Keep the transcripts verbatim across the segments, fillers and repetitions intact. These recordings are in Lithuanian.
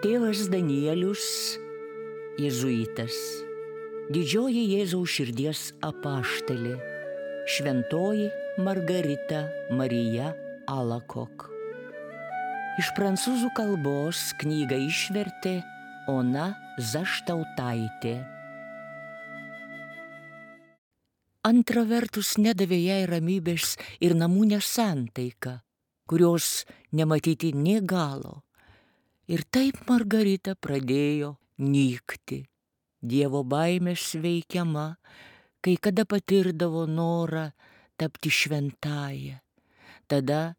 Tėvas Danielius, jėzuitas, didžioji Jėzaus širdies apaštalė, šventoji Margarita Marija Alakok. Iš prancūzų kalbos knygą išvertė Ona Zaštautaitė. Antra vertus nedavė jai ramybės ir namų nesantaika, kurios nematyti nė galo. Ir taip Margarita pradėjo nykti. Dievo baimės veikiama, kai kada patirdavo norą tapti šventąja. Tada,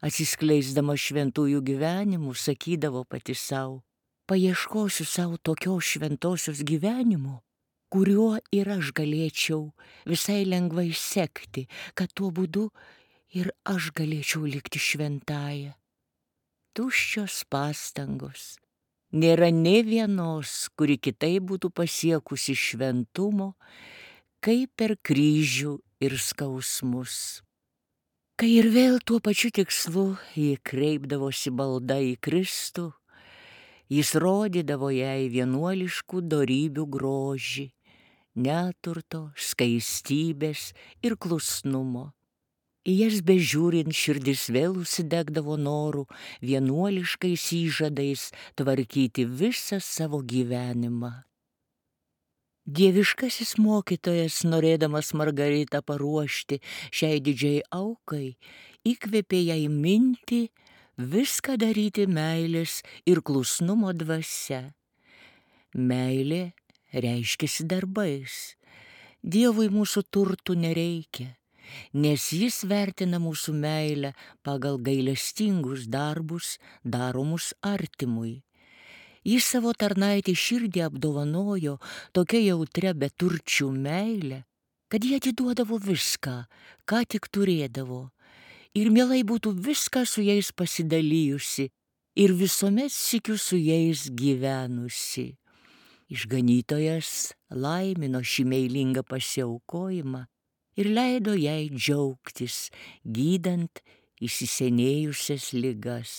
atsiskleisdama šventųjų gyvenimų, sakydavo pati sau: paieškosiu savo tokios šventosios gyvenimo, kuriuo ir aš galėčiau visai lengvai sekti, kad tuo būdu ir aš galėčiau likti šventąja. Tuščios pastangos. Nėra nė vienos, kuri kitaip būtų pasiekusi šventumo, kaip per kryžių ir skausmus. Kai ir vėl tuo pačiu tikslu ji kreipdavosi malda į Kristų, jis rodydavo jai vienuoliškų dorybių grožį, neturto, skaistybės ir klusnumo. Į jas bežiūrint širdis vėl užsidegdavo noru vienuoliškais įžadais tvarkyti visą savo gyvenimą. Dieviškasis mokytojas, norėdamas Margaritą paruošti šiai didžiai aukai, įkvėpė jai mintį viską daryti meilės ir klusnumo dvasia. Meilė reiškiasi darbais. Dievui mūsų turtų nereikia, nes jis vertina mūsų meilę pagal gailestingus darbus daromus artimui. Jis savo tarnaitį širdį apdovanojo tokia jautria beturčių meilė, kad jie atiduodavo viską, ką tik turėdavo, ir mielai būtų viską su jais pasidalijusi ir visuomet sykiu su jais gyvenusi. Išganytojas laimino šį meilingą pasiaukojimą ir leido jai džiaugtis, gydant įsisenėjusias ligas.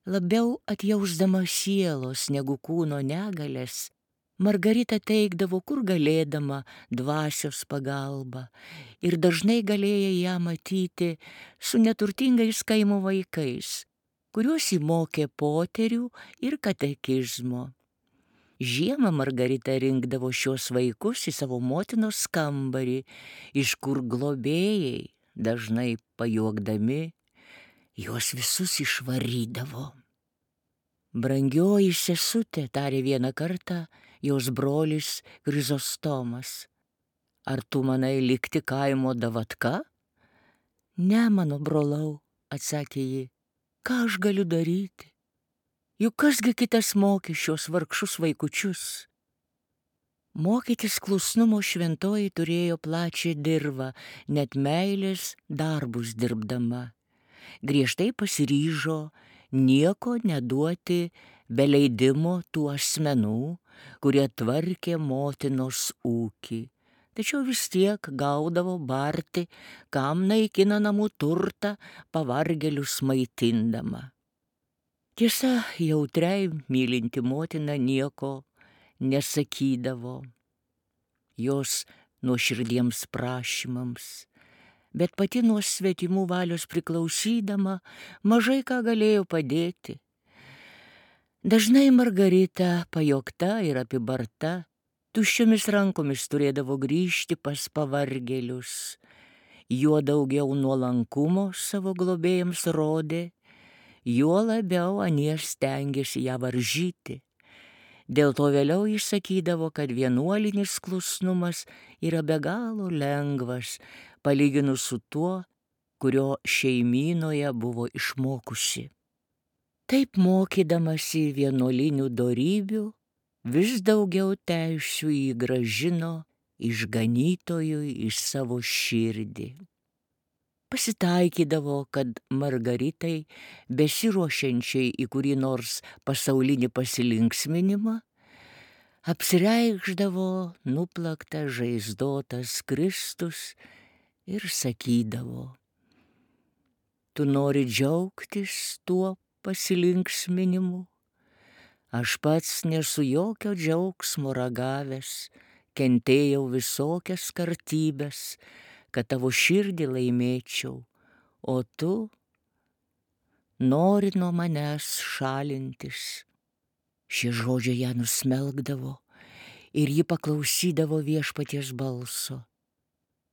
Labiau atjausdama sielos negu kūno negalias, Margarita teikdavo, kur galėdama, dvasios pagalbą, ir dažnai galėjo ją matyti su neturtingais kaimo vaikais, kuriuos įmokė poterių ir katekizmo. Žiemą Margarita rinkdavo šios vaikus į savo motinos kambarį, iš kur globėjai, dažnai pajuokdami, juos visus išvarydavo. Brangioji sesutė, tarė vieną kartą jos brolis Krizostomas, ar tu manai likti kaimo davatka? Ne, mano brolau, atsakė ji, ką aš galiu daryti? Juk kasgi kitas mokė šios vargšus vaikučius? Mokytis klusnumo šventoji turėjo plačią dirvą, net meilės darbus dirbdama. Griežtai pasiryžo nieko neduoti be leidimo tų asmenų, kurie tvarkė motinos ūkį. Tačiau vis tiek gaudavo barti, kam naikina namų turtą, pavargėlius maitindama. Tiesa, jautriai mylinti motina nieko nesakydavo jos nuoširdiems prašymams, bet pati nuo svetimų valios priklausydama mažai ką galėjo padėti. Dažnai Margarita, pajokta ir apibarta, tuščiomis rankomis turėdavo grįžti pas pavargėlius. Juo daugiau nuolankumo savo globėjams rodė, juo labiau anie stengėsi ją varžyti. Dėl to vėliau jis sakydavo, kad vienuolinis klusnumas yra be galo lengvas, palyginus su tuo, kurio šeimynoje buvo išmokusi. Taip mokydamasi vienuolinių dorybių, vis daugiau teisių jį grąžino išganytojui į savo širdį. Pasitaikydavo, kad Margaritai, besiruošiančiai į kurį nors pasaulinį pasilinksminimą, apsireikšdavo nuplaktas žaizdotas Kristus ir sakydavo: tu nori džiaugtis tuo pasilinksminimu, Aš pats nesu jokio džiaugsmo ragavęs, kentėjau visokias kartybės, kad tavo širdį laimėčiau, o tu nori nuo manęs šalintis. Šie žodžiai ją nusmelkdavo ir ji paklausydavo viešpaties balso.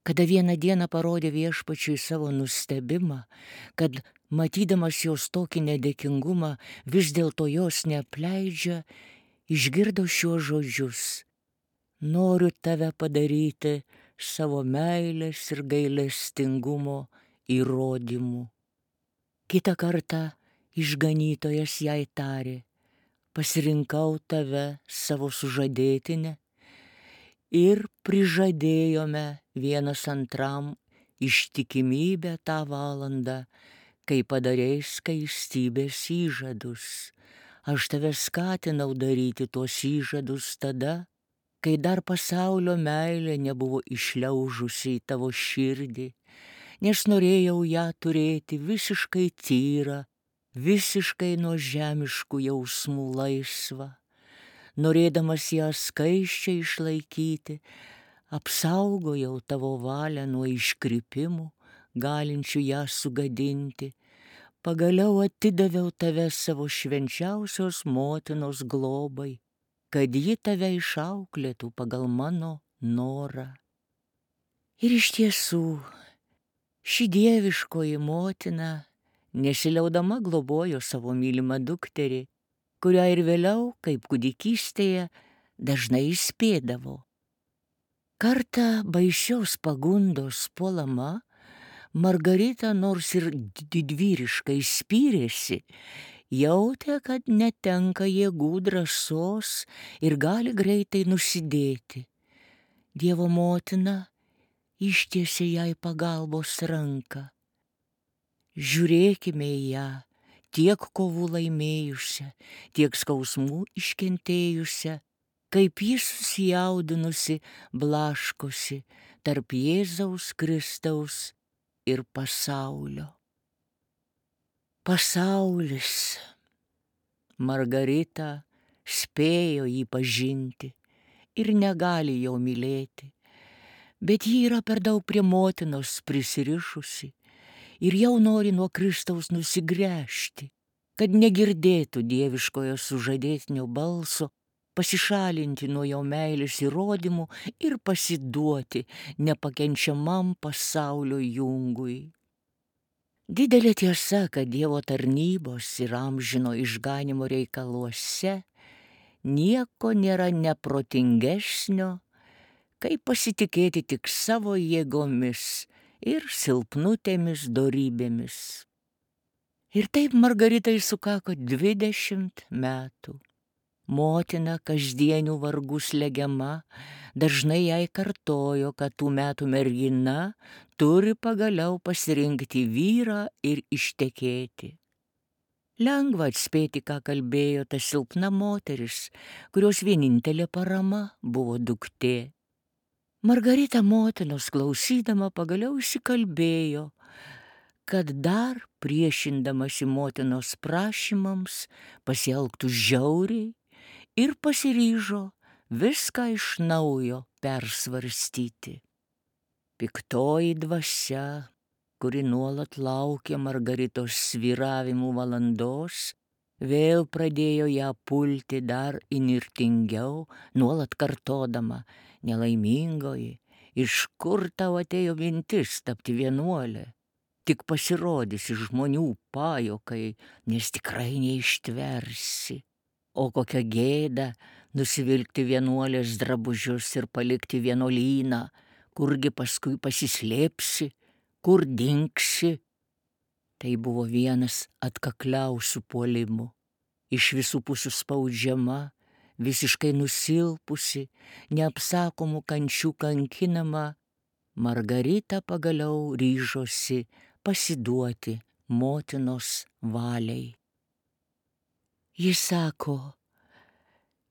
Kada vieną dieną parodė viešpačiui savo nustebimą, kad matydamas jos tokį nedėkingumą, vis dėlto jos neapleidžia, išgirdo šiuos žodžius: noriu tave padaryti savo meilės ir gailestingumo įrodymu. Kitą kartą išganytojas jai tarė: pasirinkau tave savo sužadėtinę ir prižadėjome vienas antram ištikimybę tą valandą, kai padarei skaistybės įžadus. Aš tave skatinau daryti tuos įžadus tada, kai dar pasaulio meilė nebuvo išliaužusi į tavo širdį, nes norėjau ją turėti visiškai tyrą, visiškai nuo žemiškų jausmų laisvą. Norėdamas ją skaisčiai išlaikyti, apsaugojau tavo valią nuo iškrypimų, galinčių ją sugadinti. Pagaliau atidaviau tave savo švenčiausios motinos globai, kad ji tave išauklėtų pagal mano norą. Ir iš tiesų, ši dieviškoji motina nesiliaudama globojo savo mylimą dukterį, kurią ir vėliau, kaip kūdikystėje, dažnai įspėdavo. Kartą baisios pagundos puolama, Margarita nors ir didvyriškai spyrėsi, jautė, kad netenka jėgų, drąsos ir gali greitai nusidėti. Dievo motina ištiesė jai pagalbos ranką. Žiūrėkime į ją, tiek kovų laimėjusią, tiek skausmų iškentėjusią, kaip ji susijaudinusi blaškosi tarp Jėzaus Kristaus ir pasaulio. Pasaulis. Margarita spėjo jį pažinti ir negali jo mylėti, bet ji yra per daug prie motinos prisirišusi ir jau nori nuo Kristaus nusigręžti, kad negirdėtų dieviškojo sužadėtinio balso, pasišalinti nuo jo meilės įrodymų ir pasiduoti nepakenčiamam pasaulio jungui. Didelė tiesa, kad Dievo tarnybos ir amžino išganimo reikaluose nieko nėra neprotingesnio, kaip pasitikėti tik savo jėgomis ir silpnutėmis dorybėmis. Ir taip Margaritai sukako dvidešimt metų. Motina kasdienių vargų slegiama dažnai jai kartojo, kad tų metų mergina turi pagaliau pasirinkti vyrą ir ištekėti. Lengva atspėti, ką kalbėjo ta silpna moteris, kurios vienintelė parama buvo duktė. Margarita motinos klausydama pagaliau įsikalbėjo, kad dar priešindamasi motinos prašymams pasielgtų žiauriai ir pasiryžo viską iš naujo persvarstyti. Piktoji dvasia, kuri nuolat laukė Margaritos svyravimų valandos, vėl pradėjo ją pulti dar įnirtingiau, nuolat kartodama: nelaimingoji, iš kur tau atėjo mintis tapti vienuolė? Tik pasirodysi žmonių pajuokai, nes tikrai neištversi. O kokia gėda nusivilkti vienuolės drabužius ir palikti vienuolyną, kurgi paskui pasislėpsi, kur dingsi. Tai buvo vienas atkakliausių puolimų. Iš visų pusių spaudžiama, visiškai nusilpusi, neapsakomų kančių kankinama, Margarita pagaliau ryžosi pasiduoti motinos valiai. Ji sako,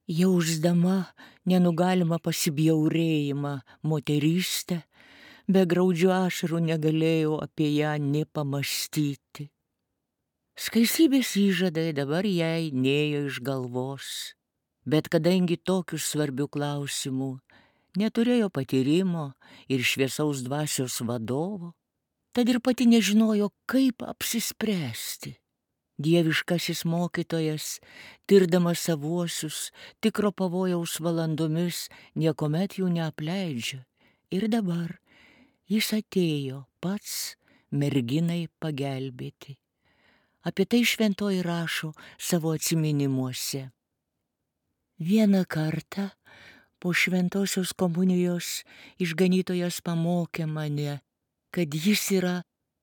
jausdama nenugalimą pasibjaurėjimą moterystę, be graudžių ašarų negalėjau apie ją nė pamąstyti. Skaistybės įžadai dabar jai nėjo iš galvos, bet kadangi tokių svarbių klausimų neturėjo patyrimo ir šviesaus dvasios vadovo, tad ir pati nežinojo, kaip apsispręsti. Dieviškasis mokytojas, tirdamas savuosius, tikro pavojaus valandomis, niekuomet jų neapleidžia. Ir dabar jis atėjo pats merginai pagelbėti. Apie tai šventoji rašo savo atsiminimuose. Vieną kartą po šventosios komunijos išganytojas pamokė mane, kad jis yra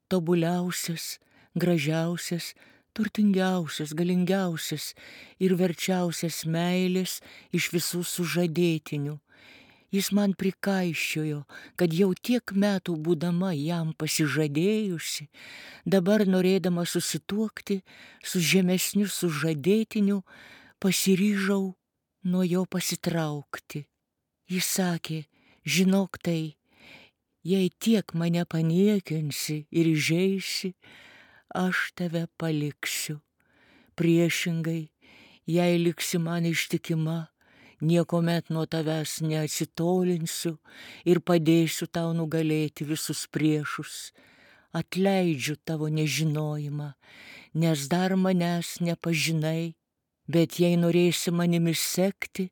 tobuliausias, gražiausias, turtingiausias, galingiausias ir verčiausias meilės iš visų sužadėtinių. Jis man prikaiščiojo, kad jau tiek metų būdama jam pasižadėjusi, dabar norėdama susituokti su žemesniu sužadėtiniu, pasiryžau nuo jo pasitraukti. Jis sakė, žinok tai, jei tiek mane paniekinsi ir įžeisi, aš tave paliksiu. Priešingai, jei liksi man ištikima, niekuomet nuo tavęs neatsitolinsiu ir padėsiu tau nugalėti visus priešus. Atleidžiu tavo nežinojimą, nes dar manęs nepažinai, bet jei norėsi manimi sekti,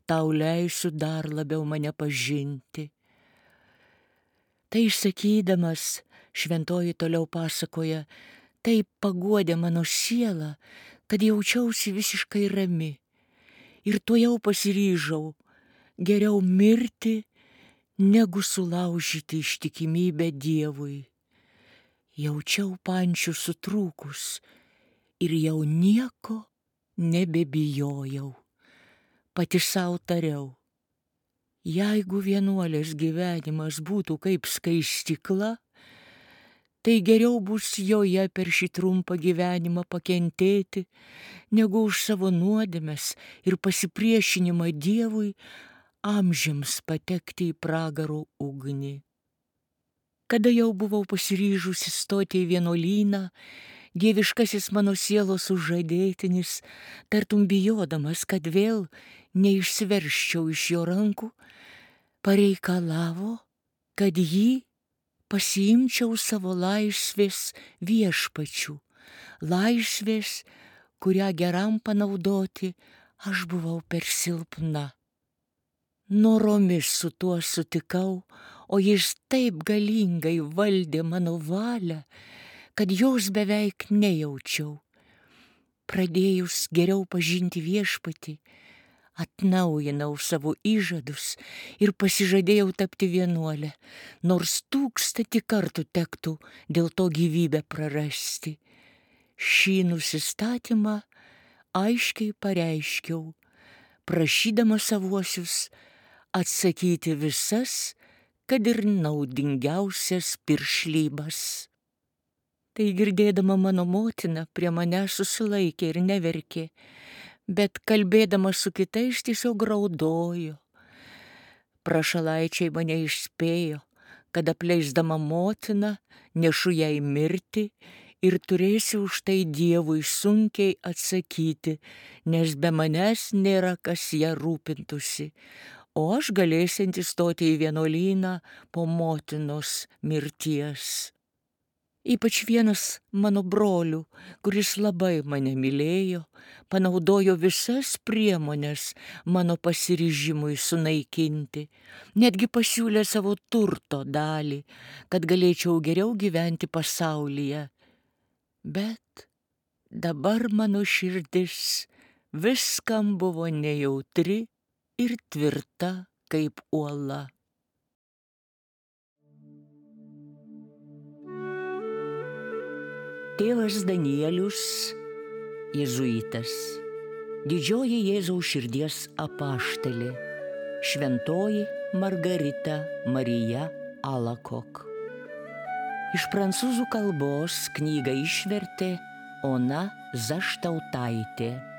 tau leisiu dar labiau mane pažinti. Tai išsakydamas, šventoji toliau pasakoja, taip paguodė mano sielą, kad jaučiausi visiškai rami. Ir tuojau pasiryžau geriau mirti, negu sulaužyti ištikimybę Dievui. Jaučiau pančių sutrūkus ir jau nieko nebebijojau. Pati sau tariau, jeigu vienuolės gyvenimas būtų kaip skaistykla, tai geriau bus joje per šį trumpą gyvenimą pakentėti, negu už savo nuodėmes ir pasipriešinimą Dievui amžiams patekti į pragaro ugnį. Kada jau buvau pasiryžusi stoti į vienuolyną, dieviškasis mano sielos sužadėtinis, tartum bijodamas, kad vėl neišsiveržčiau iš jo rankų, pareikalavo, kad jį pasiimčiau savo laisvės viešpačių, laisvės, kurią geram panaudoti aš buvau per silpna. Noromis su tuo sutikau, o jis taip galingai valdė mano valią, kad jos beveik nejaučiau. Pradėjus geriau pažinti viešpatį, atnaujinau savo įžadus ir pasižadėjau tapti vienuolę, nors tūkstantį kartų tektų dėl to gyvybę prarasti. Šį nusistatymą aiškiai pareiškiau, prašydama savuosius atsakyti visas, kad ir naudingiausias piršlybas. Tai girdėdama mano motina prie manęs susilaikė ir neverkė, bet kalbėdama su kitais tiesiog raudojo. Prašalaičiai mane išspėjo, kad apleisdama motiną nešu jai mirti ir turėsiu už tai Dievui sunkiai atsakyti, nes be manęs nėra kas ją rūpintųsi, o aš galėsianti stoti į vienuolyną po motinos mirties. Ypač vienas mano brolių, kuris labai mane mylėjo, panaudojo visas priemonės mano pasiryžimui sunaikinti, netgi pasiūlė savo turto dalį, kad galėčiau geriau gyventi pasaulyje. Bet dabar mano širdis viskam buvo nejautri ir tvirta kaip uola. Tėvas Danielius, jėzuitas, didžioji Jėzaus širdies apaštalė, šventoji Margarita Marija Alakok. Iš prancūzų kalbos knygą išvertė Ona Zaštautaitė.